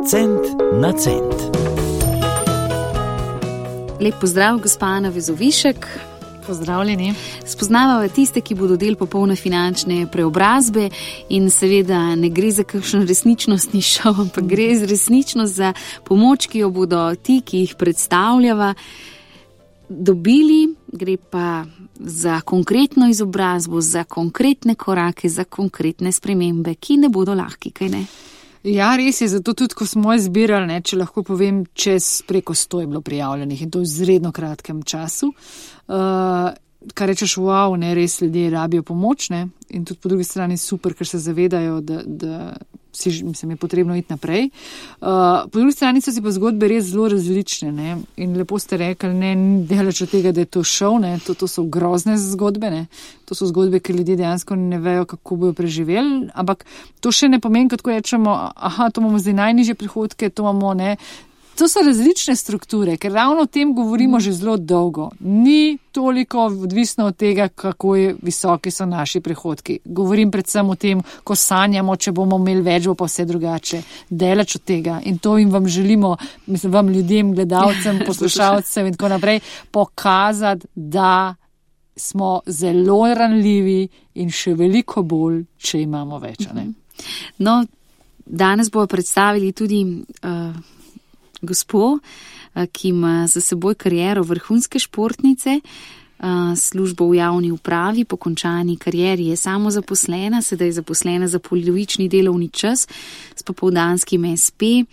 Cent na cent. Lep pozdrav, gospa Ana Vezovišek. Pozdravljeni. Spoznavava tiste, ki bodo del popolne finančne preobrazbe in seveda ne gre za kakšen resničnostni šov, ampak gre za resničnost, za pomoč, ki jo bodo ti, ki jih predstavljava, dobili. Gre pa za konkretno izobrazbo, za konkretne korake, za konkretne spremembe, ki ne bodo lahki, kaj ne? Ja, res je, zato tudi, ko smo izbirali, če lahko povem, preko 100 je bilo prijavljenih in to v izredno kratkem času. Kar rečeš, wow, res ljudje rabijo pomoč, in tudi po drugi strani super, ker se zavedajo, da je potrebno iti naprej. Po drugi strani so si pa zgodbe res zelo različne, in lepo ste rekli, ni daleč od tega, da je to šov, to so grozne zgodbe, to so zgodbe, ker ljudje dejansko ne vejo, kako bojo preživeli, ampak to še ne pomeni, kot rečemo, to imamo zdaj najnižje prihodke, to imamo, To so različne strukture, ker ravno o tem govorimo že zelo dolgo. Ni toliko odvisno od tega, kako visoki so naši prihodki. Govorim predvsem o tem, ko sanjamo, če bomo imeli več, bo pa vse drugače. Daleč od tega. In to jim vam želimo, vam ljudem, gledalcem, poslušalcem in tako naprej, pokazati, da smo zelo ranljivi in še veliko bolj, če imamo več. No, danes bomo predstavili tudi gospo, ki ima za seboj kariero vrhunske športnice, službo v javni upravi, po končani karieri je samozaposlena, sedaj je zaposlena za polovični delovni čas s popoldanskim SP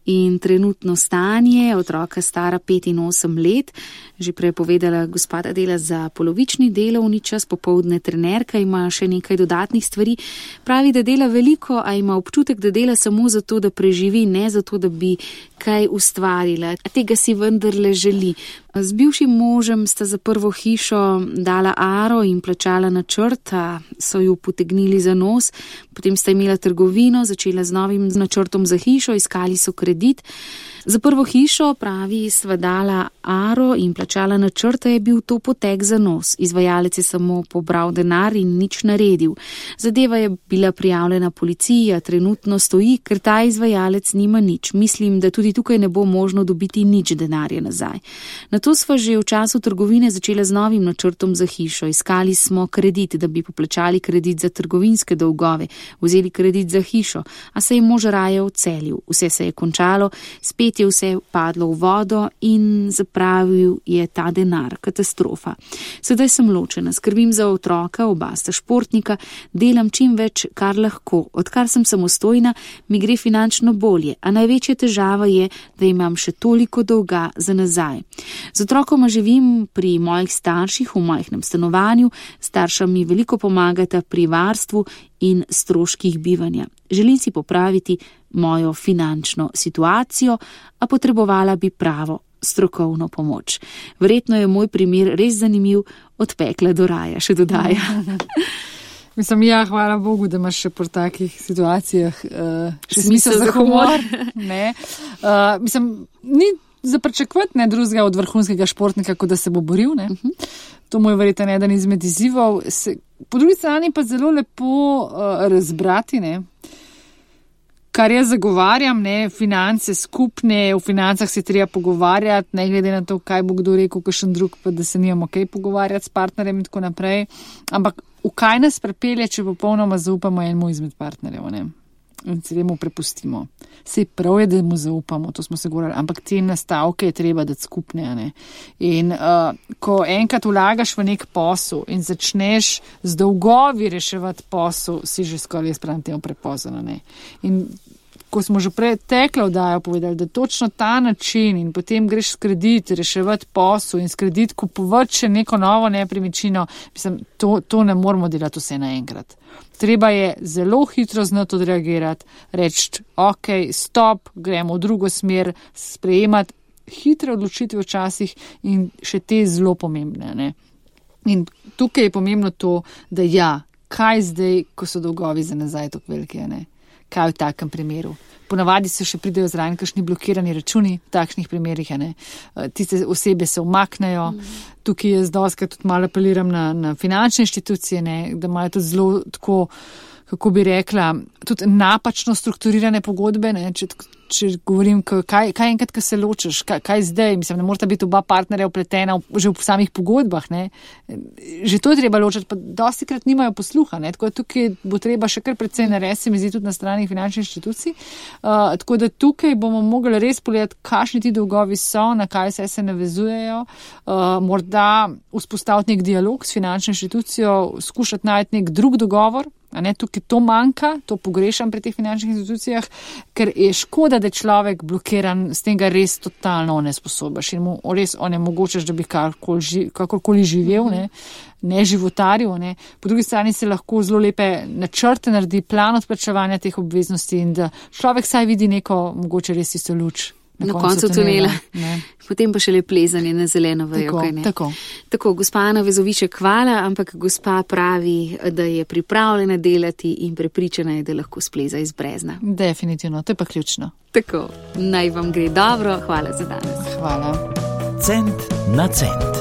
in trenutno stanje otroka stara 5 in 8 let. Že prej povedala, gospoda dela za polovični delovni čas, popoldne trenerka, ima še nekaj dodatnih stvari. Pravi, da dela veliko, a ima občutek, da dela samo zato, da preživi, ne zato, da bi kaj ustvarila. Tega si vendarle želi. Z bivšim možem sta za prvo hišo dala aro in plačala načrt, so ju potegnili za nos, potem sta imela trgovino, začela z novim načrtom za hišo, iskali so kredit. Za prvo hišo, pravi, sva dala aro in plačala načrta, je bil to potek za nos. Izvajalec je samo pobral denar in nič naredil. Zadeva je bila prijavljena policiji, a trenutno stoji, ker ta izvajalec nima nič. Mislim, da tudi tukaj ne bo možno dobiti nič denarja nazaj. Nato sva že v času trgovine začela z novim načrtom za hišo. Iskali smo kredit, da bi poplačali kredit za trgovinske dolgove, vzeli kredit za hišo, a se je mož raje odselil. Vse se je končalo, spet je vse padlo v vodo in zapravil je ta denar. Katastrofa. Sedaj sem ločena, skrbim za otroka, oba sta športnika, delam čim več, kar lahko. Odkar sem samostojna, mi gre finančno bolje, a največja težava je, da imam še toliko dolga za nazaj. Z otrokoma živim pri mojih starših v majhnem stanovanju, starša mi veliko pomagata pri varstvu in stroških bivanja. Želim si popraviti mojo finančno situacijo, a potrebovala bi pravo strokovno pomoč. Verjetno je moj primer res zanimiv, od pekla do raja, še dodaja. Hvala Bogu, da imaš še po takih situacijah še smisel za humor. Ni za pričakovati drugega od vrhunskega športnika, kot da se bo boril. To mu je verjetno eden izmed izzivov. Po drugi strani pa zelo lepo razbrati, kar jaz zagovarjam, finance skupne, v financah se treba pogovarjati, ne glede na to, kaj bo kdo rekel, kakšen drug, pa da se nimamo kaj pogovarjati s partnerjem in tako naprej. Ampak v kaj nas prepelje, če popolnoma zaupamo enemu izmed partnerjev, in se temu prepustimo. Sej prav je, da mu zaupamo, to smo se govorili, ampak te nastavke je treba dati skupne. In ko enkrat vlagaš v nek posel in začneš z dolgovi reševati posel, si že skoraj sprem temu prepozno. In ko smo že preteklo vdajo povedali, da točno ta način in potem greš s kredit reševati posel in s kredit kupovati še neko novo nepremičnino, to ne moramo delati vse naenkrat. Treba je zelo hitro znati odreagirati, reči, ok, stop, gremo v drugo smer, sprejemati hitre odločitve včasih in še te zelo pomembne. In tukaj je pomembno to, da kaj zdaj, ko so dolgovi za nazaj tako velike, kaj v takem primeru. Ponavadi se še pridejo zraven kakšni blokirani računi v takšnih primerih, tiste osebe se umaknejo. Tukaj jaz dostikrat tudi malo apeliram na finančne inštitucije, da imajo tudi zelo tako, kako bi rekla, tudi napačno strukturirane pogodbe, ne, če govorim, kaj enkrat, ko se ločiš, kaj zdaj, mislim, ne morata biti oba partnerja vpletena že v samih pogodbah, ne, že to je treba ločiti, pa dostikrat nimajo posluha, ne, tako da tukaj bo treba še kar precej narediti, se mi zdi tudi na strani finančnih inštitucij, tako da tukaj bomo mogli res pogledati, kakšni ti dolgovi so, na kaj se navezujejo, morda vzpostaviti nek dialog s finančno inštitucijo, skušati najti nek drug dogovor. Tukaj to manjka, to pogrešam pri teh finančnih institucijah, ker je škoda, da je človek blokiran, s tem ga res totalno nesposobaš in mu res onemogočaš, da bi kakorkoli živel, ne životaril. Ne. Po drugi strani se lahko zelo lepe načrte naredi, plan odplačevanja teh obveznosti in da človek saj vidi neko mogoče res isto luč. Na koncu tunela. Potem pa še le plezanje na zeleno vejo. Tako, gospa Ana Vezoviček, hvala, ampak gospa pravi, da je pripravljena delati in prepričana je, da lahko spleza iz brezna. Definitivno, to je pa ključno. Tako, naj vam gre dobro, hvala za danes. Hvala. Cent na cent.